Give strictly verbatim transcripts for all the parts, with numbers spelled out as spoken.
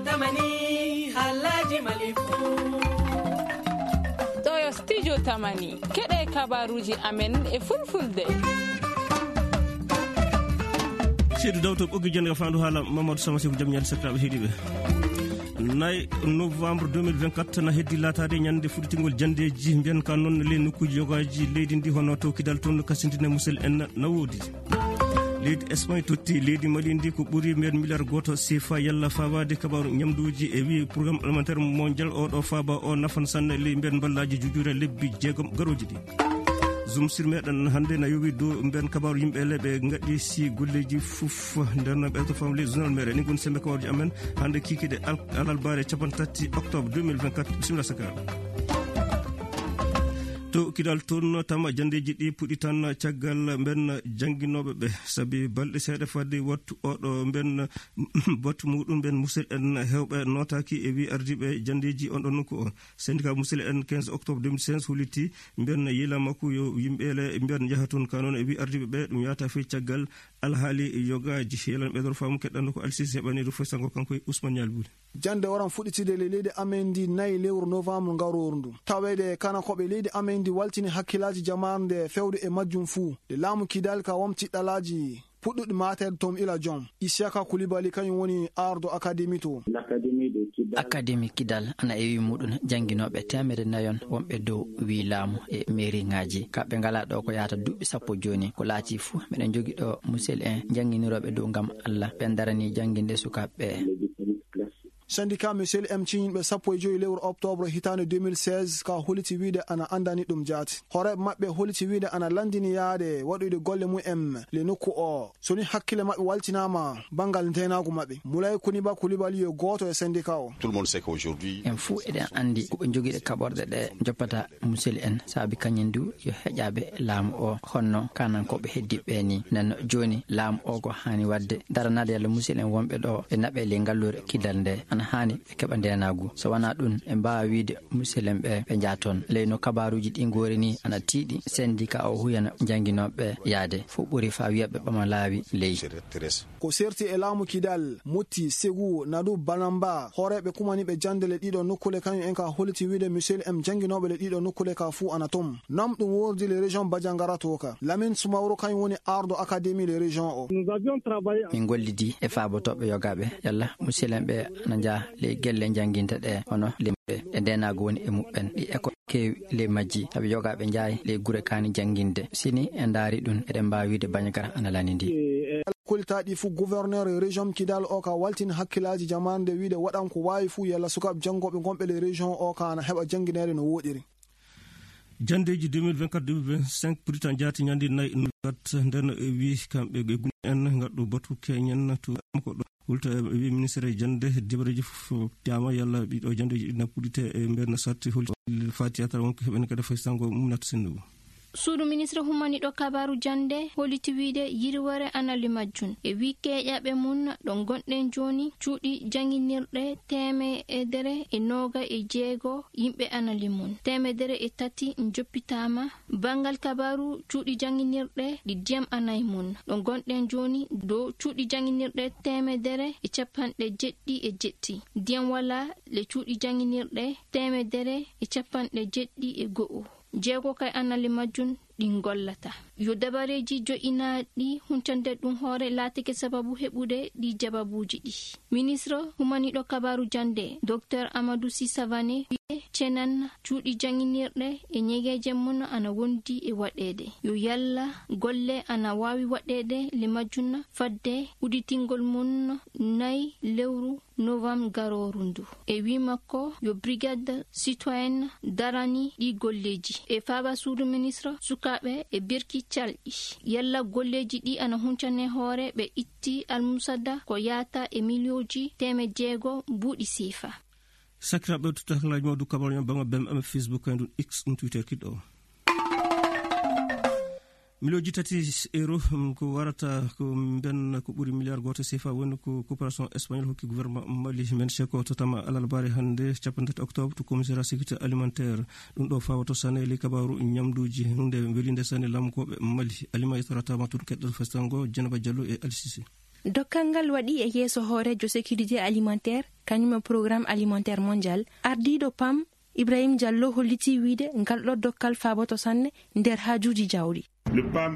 Tamani, haalaaji Mali fuu. Ɗoo yo Studio Tamani, keɗee kabaaruuji amen e Fulfulde. Seydou Daw to ɓoggi jannde ka faandu haala Mamadou Sama Seku, jam ñaali sakiraaɓe heɗiiɓe. Nay novembre deux mille vingt-quatre na heddi laataade ñande fuɗɗitingol janndeeji mbiyen ka noon ley nokkuuji yogaaji leydi ndi, hono to Kidal toon, kasindine musel en na woodi. Leydi Espagne totti leydi Mali ndi ko ɓuri mbiyen miliyar gooto sefa. Yalla faabaade kabaaru ñamduuji e wii programme alimentaire mondial oo ɗoo faaba o nafan sanne ley mbiyen mballaaji jujuure lebbi jeegom garooji ɗi. Zoom sur meɗen hannde na yowi dow mbiyen kabaaru yimɓe le ɓe ngaɗi si golleeji fof. Nden ɓe to fam ley journal meɗen ni ngoni sembe kabaaruji amen hannde kikiɗe al-, alarbaare cappanɗe tati octobre deux mille vingt-quatre. Bisimilla sakiraaɓe. To Kidal toon, tama janndeeji ɗi puɗɗi tan caggal mben jannginooɓe ɓe, sabi balɗe seeɗa fadde wattu oɗo mben wattu muɗum mben musel en heewɓe nootaaki e wii ardiiɓe janndeeji on ɗon nokku o. Syndicat musel en quinze octobre deux mille seize holliti mben yiila makko yo yimɓe le mben njaha toon ka noon e wii ardiiɓe ɓe ɗum yaata fey caggal alhaali yogaaji. Yelan ɓeydoro faamu keɗɗanɗo ko Alsisi heɓaniiɗo foy sango kanko e Ousmane Ñaali Buli. Jannde waran fuɗɗitide ley leydi amen ndi nayi lewru novembre ngarooru ndu. Taweede kana ko ɓe leydi amen ndi waltini hakkilaaji jamaare nde fewde e majjum fuu. Nde laamu Kidal ka wamti ɗalaaji puɗɗuɗi maateede toon ila jom. Isiyaka Kulibali kañum woni ardo akademi to. Akademi Kidal ana ewi muɗum jannginooɓe teemedde nayon wonɓe dow wii laamu e meeriŋaaji. Kamɓe ngalaa ɗo ko yaata duuɓi sappo jooni. Ko laatii fuu, miɗen njogi ɗo musel en jannginirooɓe dow ngam Alla. Ɓen daranii jannginde sukaaɓe ɓe. Syndicat Musel M ciñinɓe sappo e joy lewru octobre hitaande deux mille seize ka holliti wiide ana anndani ɗum jaati. Hooreeɓe maɓɓe holliti wiide ana lanndini yaade waɗoyde golle mum en le nokku o. So ni hakkille maɓɓe waltinaama banngal ndeenaagu maɓɓe. Mulay Kuniba Kulibali yo gooto e syndicat o. Tout le monde sait qu'aujourd'hui, en fuu eɗen anndi ko ɓe njogiiɗe kaɓorɗe ɗe njoppata musel en, saabi kañum du yo heƴaaɓe laamu o, honno kanankooɓe heddiiɓe ɓe ni. Nden jooni laamu o ko haani waɗde, daranaade yalla musel en wonɓe ɗo e naɓe ley ngalluure Kidal nde, ana haani ɓe keɓa ndeenaagu. So wanaa ɗum, en mbaawa wiide musel en ɓe, ɓe njaha toon. Ley no kabaaruuji ɗi ngoori ni, ana tiiɗi syndicat o huyana jannginooɓe ɓe yaade. Fof ɓuri faa wiya ɓe ɓama laawi ley. Ko serti e laamu Kidal, Mutti, Segu, Nadu, Banamba, hooreeɓe kumaniiɓe jannde le ɗiɗo nokkule kañum en ka holliti wiide musel en jannginooɓe le ɗiɗo nokkule ka fuu ana toon. Nam ɗum woordi le région Bajangara to ka. Lamin Sumawro kañum woni ardo akademi le région o. Min ngollidi e faabotooɓe yogaaɓe yalla musel en ɓe ana njaha ley gelle jannginta ɗe, hono limɓe ɗe ndeenaagu woni e muɓɓen. Ɗi école keewi ley majji, sabi yogaaɓe njahay ley gure kaani jannginde. Si ni en ndaari ɗum, eɗen mbaawi wiide Bandiagara ana lanindii. Kolitaaɗi fuu, gouverneur région Kidal o ka waltini hakkillaaji jamaanu nde wiide waɗan ko waawi fuu yalla sukaaɓe janngooɓe gonɓe ley région o ka ana heɓa janngineede no wooɗiri. Janndeeji deux mille vingt-quatre deux mille vingt-cinq puritan jaati ñande nayi kat nden wi kamɓe ɓe guni en ngaɗɗo batu keñen to ko ɗo. Hulta e wi ministre jannde dibareeji fof tiyama yalla ɗiɗo janndeeji ɗi nappudite e mbeer na satti hulta fati atara wonko heɓen kadi fay sango mum nata sennugo. Suudu ministre humaniɗo kabaaru jannde holliti wiide yirwere ana li majjun e wi keeƴaɓe mum ɗo gonɗen jooni cuuɗi jannginirɗe teemedere e nooga e jeego yimɓe ana li mum. Teemedere e tati njoppitaama. Banngal kabaaru cuuɗi jannginirɗe ɗi diyam ana e mum ɗo gonɗen jooni dow cuuɗi jannginirɗe teemedere e cappanɗe jeɗɗi e jeɗɗi. Diyam walaa le cuuɗi jannginirɗe teemedere e cappanɗe jeɗɗi e go'o. Jeego kay ana li majjun ɗi ngollata. Yo dabareeji jo'inaaɗi huncande ɗum hoore laatike sababu heɓude ɗi jababuuji ɗi. Ministre humaniɗo kabaaru jannde, Docteur Amadou Sy Savané, wi'e cenan cuuɗi jannginirɗe e ñegeeje mum ana wondi e waɗeede. Yo yalla golle ana waawi waɗeede le majjun fadde udditingol mum nayi lewru novembre garooru ndu. E wii makko, yo Brigade Citoyenne darani ɗii golleeji. E faaba suudu ministre, sukaaɓe e berki calɗi. Yalla golleeji ɗii ana huncane hoore ɓe itti almusada ko yaata e miliyonji teemedde jeego mbuuɗi seefa. Sakiraaɓe, to taklaaji mawɗo kabaaruuji on, banngal B M M, Facebook, kay ɗum X, ɗum Twitter kiɗɗo o. Miliyonji tati euro, mm, ko warata ko mben ko ɓuri miliyar gooto sefa woni ko coopération espagnol hokki gouvernement Mali. Men ceko to tama alarbaare hannde, cappanɗe tati octobre, to commissariat sécurité alimentaire. Ɗum ɗo fawato sane ley kabaaru ñamduuji, huunde welinde sane lamkooɓe Mali. Alima e torata ma toon keɗɗo festango, Dieynaba Diallo e Alsisi. Dokkal ngal waɗi e yeeso hooreejo sekirite alimentaire, kañum e porogaram alimentaire mondial. Ardiiɗo pam, Ibrahim Diallo, hollitii wiyde ngal ɗoo dokkal faaboto sanne nder haajuuji jawdi.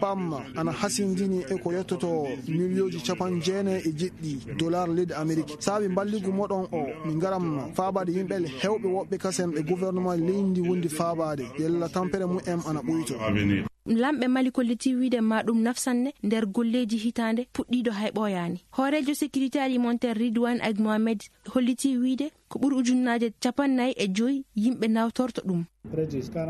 Pam ana hasindini e ko yottotoo miliyonji capanɗe jeenayi e jeɗɗi dolaar leydi Amerik. Saabi mballigu moɗon oo, min ngaran faabaade yimɓe heewɓe woɓɓe kasen ɓe gofornema leydi ndii wondi faabaade, yalla tampere mum en ana ɓuytoo. Laamɓe Mali kollitii wiyde ma ɗum naf sanne nder golleeji hitaande puɗɗiiɗo hay ɓooyaani. Hooreejo sekirite alimentaire Ridwan Aid Mohamed hollitii wiyde ko ɓuri ujunnaaje cappannayi e joy yimɓe nawtorto ɗum.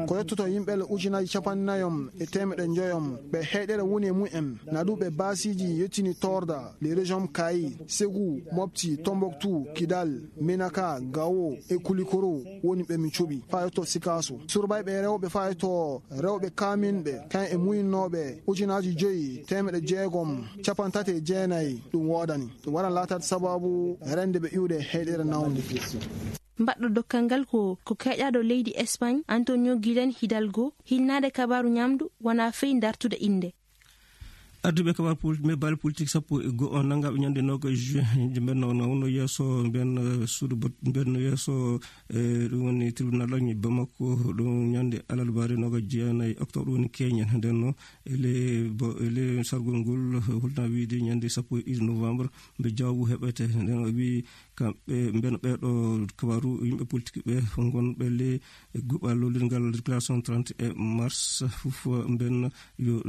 Ko yottoto yimɓe le ujunaaji cappannayi e teemeɗɗe njoyo ɓe heyɗeere woni e mum en, na ɗum ɓe baasiiji yettini Toorda, le région Kayi, Segu, Mopti, Tomboktu, Kidal, Menaka, Gawo e Kulikoro woni ɓe min cuɓi faa yotto Sikaaso. Surbayɓe rewɓe faa yotto rewɓe kaaminɓe, kayen e muyinnooɓe ujunaaji joy teemeɗɗe jeegom cappanɗe tati e jeenayi ɗum woodani. Ɗum waran laataade sabaabu rende ɓe iwde heyɗeere nawnde. Mbaɗɗo dokkal ngal ko, ko keeƴaaɗo leydi Espagne, Antonio Guillen Hidalgo, hilnaade kabaaru ñaamdu, wonaa fey dartude innde. Arduɓe kabaaru pol-, me baale politik sappo e go'o nanngaaɓe ñande noogaas juin, mbenno, no wonno yeeso, mbenno, eh, suudu bot-, mbenno yeeso, eh, ɗum woni tribunal ɗo Bamako, ɗum ñande alarbaare noogaas jeenayi octobre woni keñen. Nden no, e le bo-, e le sargol ngol, holna wiide ñande sappo e ɗiɗi novembre, mbe jawaabu heɓete. Nden o wii, kamɓe, mben ɓeeɗo kabaaru yimɓe politik ɓe ngonɓe le guɓal lollirngal déclaration trente et un mars, fof mben yo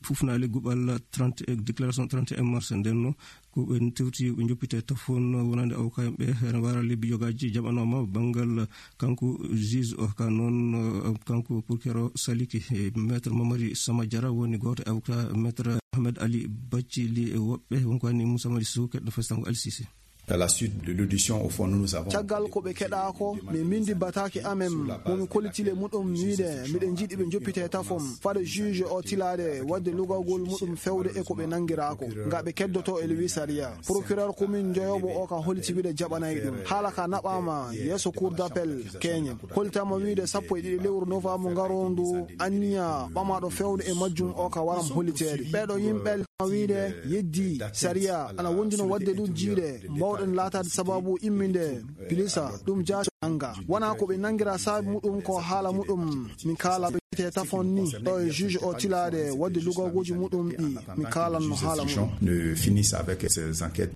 fufnaali guɓal trente, déclaration trente et un mars. Nden no, ko ɓe tewti yo ɓe njoppite tafon wonande avocat en ɓe, ene wara lebbi yogaaji jaɓanooma banngal kanko juge o, ka noon, eh, kanko procureur o saliki, eh, maître Mamadi Sama Diarra woni gooto e avocat maître Ahmed Ali Bathily e woɓɓe, wonko anni Moussa Madi Sow, keɗɗo festango Ali Cissé. À la suite de l'audition, au fond, nous, nous avons... Caggal ko ɓe keɗaa ko, min mbinndi bataake amen, mo min kolliti le muɗum wiyde miɗen njiɗi ɓe njoppitee tafon, fade juge o tilaade waɗde lugagol muɗum fewde e ko ɓe nanngiraa ko, nga ɓe keddotoo e le wii sariya. Procureur commune njoyooɓo o ka holliti wiyde jaɓanay ɗum. Haala ka naɓaama yeeso cour d'appel keñen. Hollitaama wiyde sappo e ɗiɗi lewru novembre ngaroondu, anniya ɓamaaɗo fewde e majjum o ka waram holliteede. Ɓeeɗo yimɓe wiyde yeddii sariya ana wonjino waɗde ɗum jiiɗe mbawɗen laataade sababu imminde pilisa ɗum jaati nannga. Wonaa ko ɓe nanngira saabi muɗum ko haala muɗum min kaala ɓe te tafon ni ɗo e juge o tilaade waɗde lugagooji muɗum ɗi min kaalanno haala muɗum. Ne finissent avec ces enquêtes.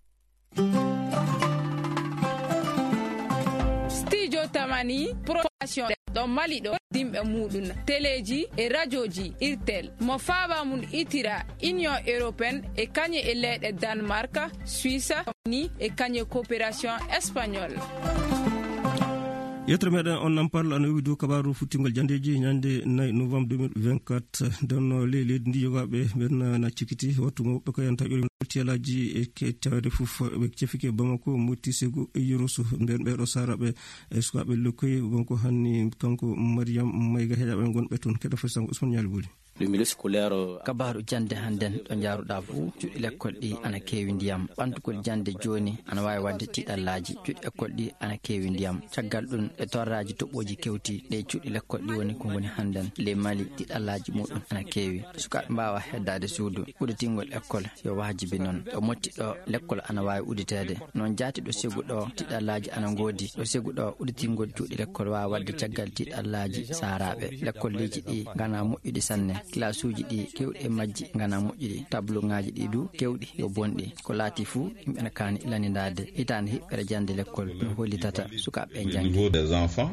Studio Tamani Production ɗo Mali ɗo dimɓe muɗum teleeji e rajooji irtel mo faaba mum itira Union Européenne e kañe e leyɗe Danemark, Suisse ni e kañe coopération espagnol. Yettere meɗen on nan parla ana yowi dow kabaru futtingol jandeji ñande nayi novembre deux mille vingt-quatre. Nden no ley leydi ndi yogaɓe ɓen na cikkiti wattu mo ɓe ko yanta ƴori tiyalaji e ke tawde fof ɓe cefike Bamako, Mopti, Segu e Yoroso. Nden ɓeɗo saraɓe e sukaɓe lokkoy wonko hanni kanko Mariam Mayga heɗaɓe gonɓe toon keɗa fesango Ousmane Ñaali Boli. Le milieu scolaire. Kabaaru jannde hannden ɗo njaaruɗaa fuu, cuuɗi lekkol ɗi ana keewi ndiyam. Ɓantugol jannde jooni ana waawi waɗde tiiɗallaaji. Cuuɗi lekkol ɗi ana keewi ndiyam. Caggal ɗum, e torraaji toɓɓooji kewti, ɗe cuuɗi lekkol ɗi woni ko ngoni hannden ley Mali, tiiɗallaaji muɗum ana keewi. Sukaaɓe mbaawa heddaade suudu. Uditingol lekkol yo waajibi non. Ɗo Mopti ɗo, lekkol ana waawi uditeede. Noon jaati ɗo Segu ɗo, tiiɗallaaji ana ngoodi. Ɗo Segu ɗo, uditingol cuuɗi lekkol waawa waɗde caggal tiiɗallaaji saaraaɓe. Lekkolleeji ɗi nganaa moƴƴuɗi sanne. Kilaasuuji ɗi keewɗi e majji nganaa moƴƴuɗi. Tabloŋaaji ɗi du keewɗi yo bonɗi. Ko laatii fuu, yimɓe na kaani lanindaade. Hitaande hiɓɓere jannde lekkol no hollitata sukaaɓe ɓe njanngi. Au niveau des enfants.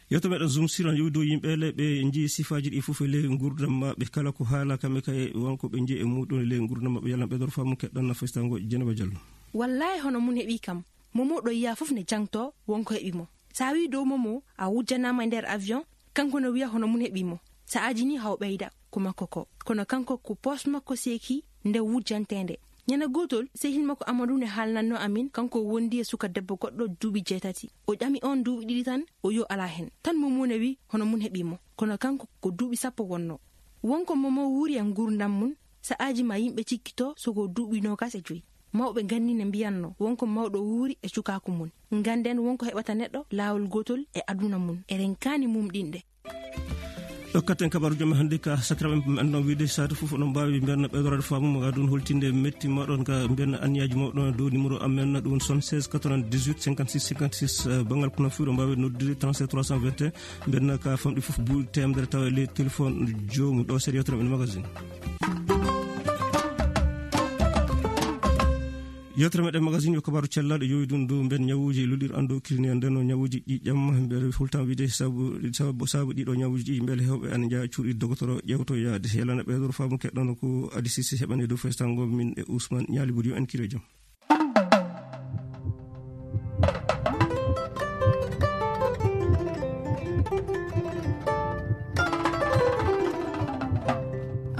Yewtere meɗen Zoom sur ana yowi dow yimɓe le ɓe njii sifaaji ɗi fof e ley nguurndam maɓɓe. Kala ko haala kamɓe kay won ko ɓe njii e muɗum e ley nguurndam maɓɓe. Yalla ɓe dor faamu keɗɗan na festango Dieynaba Diallo. Wallaahi hono mun heɓii kam. Momo ɗo yiyaa fof ne jangtoo won ko heɓi mo. So a wii dow Momo a wujjanaama e nder avion, kanko no wiya hono mun heɓii mo. Sa'aaji nii haw ɓeyda ko makko ko. Kono kanko ko poos makko seekii nde wujjanteende. Ñande gootol, sehil makko Amadu ne haalnannoo amin, kanko wondi e suka debbo goɗɗo duuɓi jeetati. O ƴami on duuɓi ɗiɗi tan, o wi'i o alaa hen. Tan Momo ne wi'i hono mun heɓii mo. Kono kanko ko duuɓi sappo wonnoo. Won ko Momo wuuri e nguurndam mun, sa'aaji maa yimɓe cikkitoo so ko duuɓi noogas e joy. Mawɓe ganni ne mbiyannoo won ko mawɗo wuuri e cukaaku mun. Ngannden won ko heɓata neɗɗo laawol gootol e aduna mun. Eɗen kaani mumɗinde. Ɗokkaten kabaaruuji men hannde ka sakiraaɓe men, anndaa wiide saatu fof oɗon mbaawi mbiyen ɓeydoraade faamu mo, kaa ɗum holtinde metti mooɗon ka mbiyen anniyaaji mooɗon dow numéro amen, ɗum woni soixante-seize quatre-vingt-dix-huit cinquante-six cinquante-six, eh, banngal kono fuu ɗo mbaawi noddude trente-sept trois cent vingt et un, mbiyen ka famɗi fof buuɗi teemedere tawa e ley téléphone joomum. Ɗo seeɗa yewtere men magazine. Yewtere meɗen magazine yo kabaaru cellal, yowi ɗum dow mbiyen ñawuuji lullirɗi anndokirine. Nden no ñawuuji ƴiiƴam, mbeɗa hultan wiide sabu, sabu, sabu ɗiɗo ñawuuji ɗi, mbele heewɓe ana njaha cuuɗi dogotoro ƴeewtoyaade. Yalana ɓeydoro faamu keɗɗono ko Adi Sise heɓane dow festango min e Ousmane Ñaali Buri, yo en kire jam.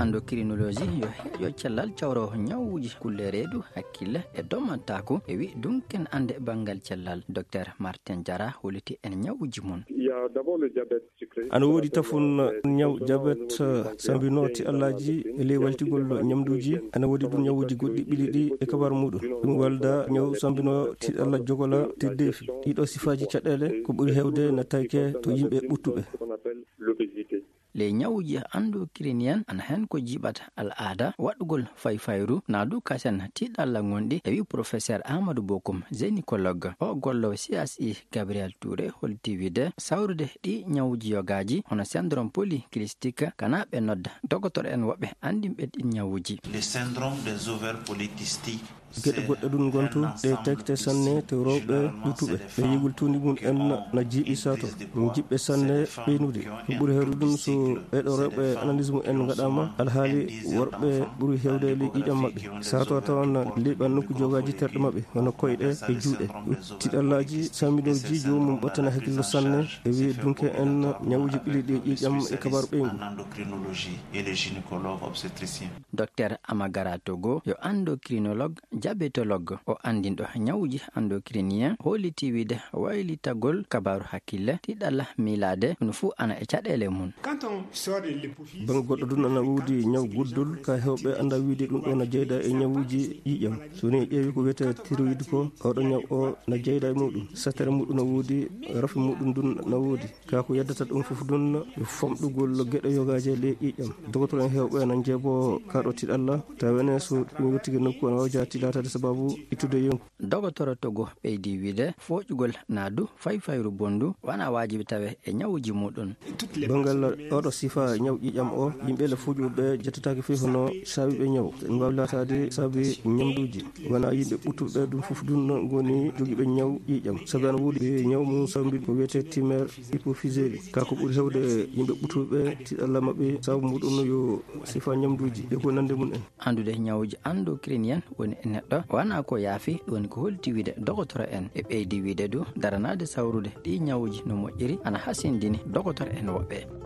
Endocrinologie yo heeƴo cellal cawroowo ñawuuji kulle reedu, hakkille e domataaku. E wi dunken annde banngal cellal, Docteur Martin Diarra holliti en ñawuuji mum. Il y a d'abord le diabète sucré. Ana woodi tafun ñaw jabet, sambinoo tiɗallaaji e ley waltigol ñamduuji. Ana woodi ɗum ñawuuji goɗɗi ɓili ɗi e kabaru muɗum. Ɗum walda ñaw sambinoo tiɗalla jogola teddeefi. Ɗiɗo sifaaji caɗeele ko ɓuri heewde na tawke to yimɓe ɓuttuɓe. Ley ñawuuji anndokiriniyen ana hen ko jiiɓata al'aada waɗugol fayfayru, naa du kasen tiɗalla ngonɗi, e wi professeur Amadou Bokoum, gynécologue. O gollowo C S I Gabriel Touré holti wiide sawrude ɗi ñawuuji yogaaji hono syndrome polycystique, kana ɓe nodda dogotoro en woɓɓe anndinɓe ɗi ñawuuji. Le syndrome des ovaires polykystiques. Geɗe goɗɗe ɗum ngontu ɗe tawte sanne to rewɓe ɓuttuɓe. Ɓe yigol tuundi mum en na jiiɓi sato. Ɗum jiɓɓe sanne ɓeynude. Ɗum ɓuri heewde ɗum so ɓeeɗo rewɓe analyse mum en ngaɗaama. Alhaali worɓe ɓuri heewde ley ƴiiƴam maɓɓe. Sato a tawan liɓa nokku jogaaji terɗe maɓɓe, hono koyɗe e juuɗe. Tiɗallaaji samminooji joomum ɓottana hakkillo sanne. E wiye dunke en ñawuuji ɓili ɗi ƴiiƴam e kabaaru ɓeyngu. Docteur Amagara Togo yo endocrinologue, diabétologue. O anndinɗo ñawuuji endocriniens, holliti wiide waylitagol kabaaru hakkille, tiɗalla miilaade, ɗum fuu ana e caɗeele mum. Bannge goɗɗo ɗum ana woodi ñaw guddol, ka heewɓe annda wiide ɗum ɗo na jeyda e ñawuuji ƴiiƴam. So ni ƴeewi ko wiyetee thyroïde ko, oɗo ñaw o na jeyda e muɗum. Sattere muɗum na woodi, rafi muɗum ɗum na woodi. Kaa ko yeddata ɗum fof ɗum yo famɗugol geɗe yogaaji e ley ƴiiƴam. Dogotoro en heewɓe ana njeeboo kaa ɗo tiɗalla, tawa ene so ɗum yottike nokku ana waawi jaati laataade sababu ittude yonki. Dogotoro Togo ɓeydi wiide fooƴugol naa du fayfayru bonndu wana waajibi tawe e ñawuuji muɗum. Banngal oɗo sifa ñaw ƴiiƴam o, yimɓe le fooƴuɓe ɓe jettataake fii hono saabi ɓe ñaw. Ɗum waawi laataade saabi ñamduuji. Wona yimɓe ɓuttuɓe ɓe ɗum fof ɗum ngoni jogiiɓe ñaw ƴiiƴam. Sabi ana woodi ɓe ñaw mum sambi ko wiyetee tumeur hypophysaire. Kaa ko ɓuri heewde yimɓe ɓuttuɓe ɓe tiɗalla maɓɓe sabu muɗum yo sifa ñamduuji e ko nande mum en. Anndude ñawuuji endocriniens woni e neɗɗo wana ko yaafi, ɗum woni ko holti wiide dogotoro en. E ɓeydi wiide du daranaade sawrude ɗi ñawuuji no moƴƴiri ana hasindini dogotoro en woɓɓe.